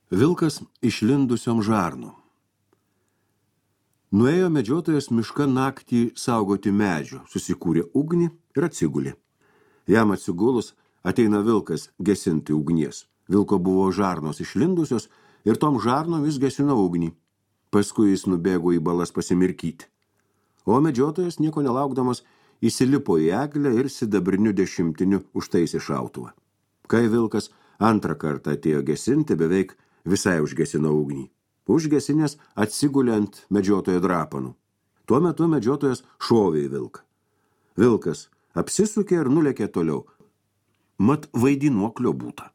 Vilkas išlindusiom žarnom. Nuėjo medžiotojas mišką naktį saugoti medžių, susikūrė ugnį ir atsigulė. Jam atsigulus ateina vilkas gesinti ugnies. Vilko buvo žarnos išlindusios ir tom žarnom jis gesino ugnį. Paskui jis nubėgo į balas pasimirkyti. O medžiotojas, nieko nelaukdamas, įsilipo į eglę ir sidabriniu dešimtiniu užtaisė šautuvą. Kai vilkas antrą kartą atėjo gesinti, beveik visai užgesino ugnį. Užgesinės atsigulė ant medžiotojo drapanų. Tuo metu medžiotojas šovė į vilką. Vilkas apsisukė ir nulėkė toliau. Mat vaidinuoklio būta.